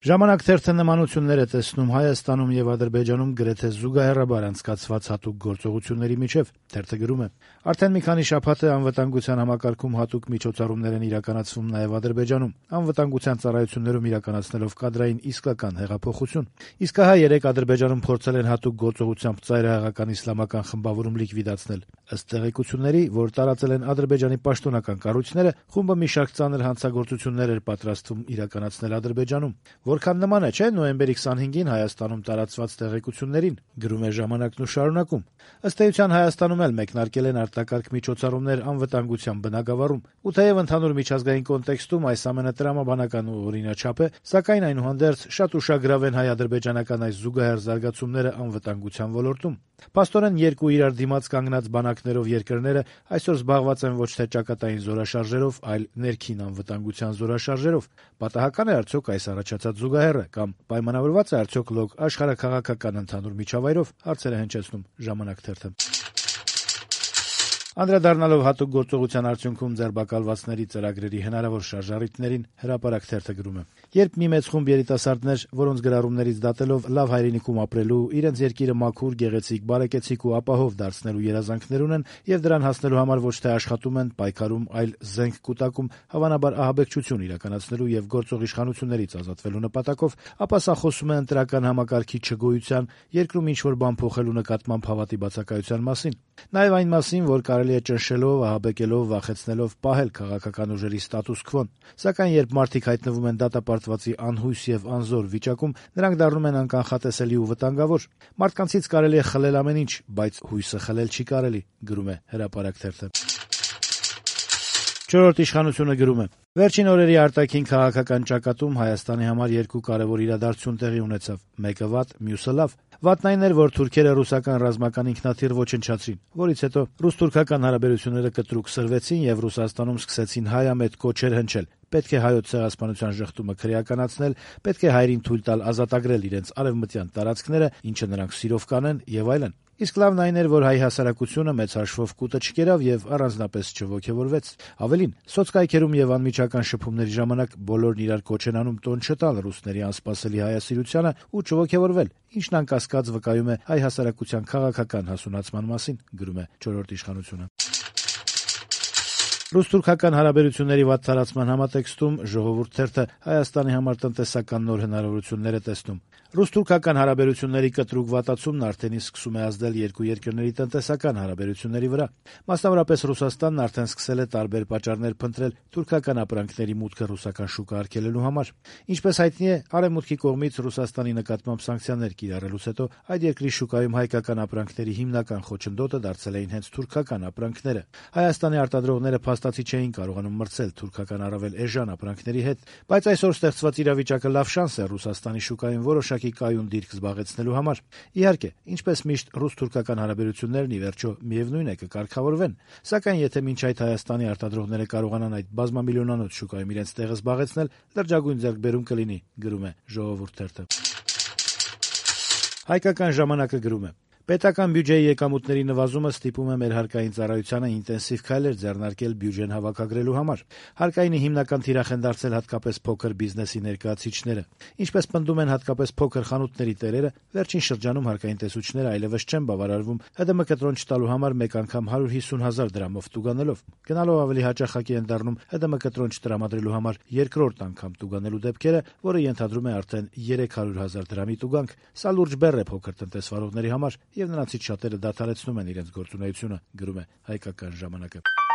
Ժամանակ թերթը նմանություններ է տեսնում Հայաստանում եւ Ադրբեջանում գրեթե զուգահեռաբար անցկացված հատուկ գործողությունների միջեւ։ Թերթը գրում է. արդեն մի քանի շաբաթ է անվտանգության համակարգում հատուկ միջոցառումներ են իրականացվում նաեւ Ադրբեջանում, անվտանգության ծառայություններում իրականացնելով կադրային իսկական հեղափոխություն։ Իսկ ահա երեք Ադրբեջանում փորձել են հատուկ գործողությամբ ծայրահեղական իսլամական խմբավորում լիկվիդացնել։ Ըստ տեղեկությունների, որ տարածել են Ադրբեջանի պաշտոնական կառույցները, խումբը մի շարք ծանր հանցագործություններ էր պատրաստվում իրականացնել Ադրբեջանում։ Որքան նման է, չէ՞, նոյեմբերի 25-ին Հայաստանում տարածված տեղեկություններին, գրում է «Ժամանակ»-ն ու շարունակում. ըստ էության Հայաստանում էլ մեկնարկել են արտակարգ միջոցառումներ անվտանգության բնագավառում, ու թեև ընդհանուր միջազգային կոնտեքստում այս ամենը տրամաբանական ու օրինաչափ է, սակայն այնուհանդերձ շատ ուշագրավ են հայ-ադրբեջանական այս զուգահեռ զարգացումները անվտանգության ոլորտում։ Փաստորեն երկու իրար դիմաց կանգնած բանակներով երկրները այսօր զբաղված են ոչ թե ճակատային զորաշարժերով, այլ ներքին անվտանգության զորաշարժերով։ Պատահական է արդյոք այս առաջացած զուգահեռը կամ պայմանավորված է արդյոք լոկ աշխարհաքաղաքական ընդհանուր միջավայրով, հարցեր է հնչեցնում «Ժամանակ» թերթը։ Անդրադառնալով հատուկ գործողության արդյունքում ձերբակալվածների ծրագրերի հնարավոր շարժառիթներին, «Հրապարակ» թերթը գրում է. երբ մի մեծ խումբ երիտասարդներ, որոնց գրառումներից դատելով լավ հայրենիքում ապրելու, իրենց երկիրը մաքուր, գեղեցիկ, բարեկեցիկ ու ապահով դարձնելու երազանքներ ունեն եւ դրան հասնելու համար ոչ թե աշխատում են, պայքարում, այլ զենք կուտակում, հավանաբար ահաբեկչություն իրականացնելու եւ գործող իշխանություններից ազատվելու նպատակով, ապա սա խոսում է ընտրական համակարգի չգոյության, երկրում ինչ-որ բան փոխելու նկատմամբ հավատի բացակայության մասին։ Նաեւ այն մասին, որ կարելի է ճնշելով, ահաբեկելով, վախեցնելով պահել քաղաքական ուժերի ստատուս քվոն։ Սակայն երբ մարդիկ հայտնվում են դատապարտվածի անհույս եւ անզոր վիճակում, նրանք դառնում են անկանխատեսելի ու վտանգավոր։ Մարդկանցից կարելի է խլել ամեն ինչ, բայց հույսը խլել չի կարելի, գրում է «Հրապարակ» թերթը։ «Չորրորդ իշխանությունը» գրում է. վերջին օրերի արտաքին քաղաքական ճակատում Հայաստանի համար երկու կարևոր իրադարձություն տեղի ունեցավ՝ մեկը վատ, մյուսը լավ։ Վատն այն էր, որ թուրքերը ռուսական ռազմական ինքնաթիռ ոչնչացրին, որից հետո ռուս-թուրքական հարաբերությունները կտրուկ սրվեցին եւ Ռուսաստանում սկսեցին հայամետ կոչեր հնչել. պետք է հայոց ցեղասպանության ժխտումը քրեականացնել, պետք է հայերին թույլ տալ ազատագրել իրենց արևմտյան տարածքները, ինչը նրանք սիրով կանեն եւ այլն։ Իսկ լավն այն էր, որ հայ հասարակությունը մեծ հաշվով կուտը չկերավ եւ առանձնապես չոգեւորվեց։ Ավելին, սոցկայքերում եւ անմիջական շփումների ժամանակ բոլորն իրար կոչ են անում տոն չտալ ռուսների անսպասելի հայասիրությանը ու չոգեւորվել, ինչն անկասկած վկայում է հայ հասարակության քաղաքական հասունացման մասին, գրում է «Չորրորդ իշխանությունը»։ Ռուս-թուրքական հարաբերությունների վատ տարածման համատեքստում «Ժողովուրդ» թերթը Հայաստանի համար տնտեսական նոր հնարավորություններ է տեսնում։ Ռուս-թուրքական հարաբերությունների կտրուկ վատացումն արդեն իսկ սկսում է ազդել երկու երկրների տնտեսական հարաբերությունների վրա։ Մասնավորապես Ռուսաստանն արդեն սկսել է տարբեր պատճառներ փնտրել թուրքական ապրանքների մուտքը ռուսական շուկա արգելելու համար։ Ինչպես հայտնի է, Արևմուտքի կողմից Ռուսաստանի նկատմամբ սանկցիաներ կիրառելուց հետո այդ երկրի շուկայում հայկական ապրանքների հիմնական խոչընդոտը դարձել էին հենց թուրքական ապրանքները։ Հայաստանի արտադրողները փաստացի չէին կարողանում մրցել թուրքական առավել էժան ապրանքների հետ, բայց այսօր ստեղծված իրավիճակը լավ շանս է Ռուսաստանի շուկայում որոշակի կայուն դիրք զբաղեցնելու համար։ Իհարկե, ինչպես միշտ ռուս-թուրքական հարաբերություններն ի վերջո միևնույն է կկարգավորվեն, սակայն եթե մինչ այդ Հայաստանի արտադրողները կարողանան այդ բազմամիլիոնանոց շուկայում իրենց տեղը զբաղեցնել, լրջագույն ձեռքբերում կլինի, գրում է «Ժողովուրդ» թերթը։ Հայկական ժամանակը գրում է. պետական բյուջեի եկամուտների նվազումը ստիպում է մեր հարկային ծառայությանը ինտենսիվ քայլեր ձեռնարկել բյուջեն հավաքագրելու համար։ Հարկայինի հիմնական թիրախ են դարձել հատկապես փոքր բիզնեսի ներկայացուցիչները։ Ինչպես պնդում են հատկապես փոքր խանութների տերերը, վերջին շրջանում հարկային տեսուչները այլևս չեն բավարարվում ՀԴՄ կտրոն չտալու համար մեկ անգամ 150,000 դրամով տուգանելով։ Գնալով ավելի հաճախակի են դառնում ՀԴՄ կտրոն չտրամադրելու համար երկրորդ անգամ տուգանելու դեպքերը, որը ենթադրում է արդեն 300,000 դրամի տուգանք։ Սա լուրջ բեռ է փոքր տնտեսվարողների համար, եւ նրանցից շատերը դադարեցնում են իրենց գործունեությունը, գրում է Հայկական ժամանակը։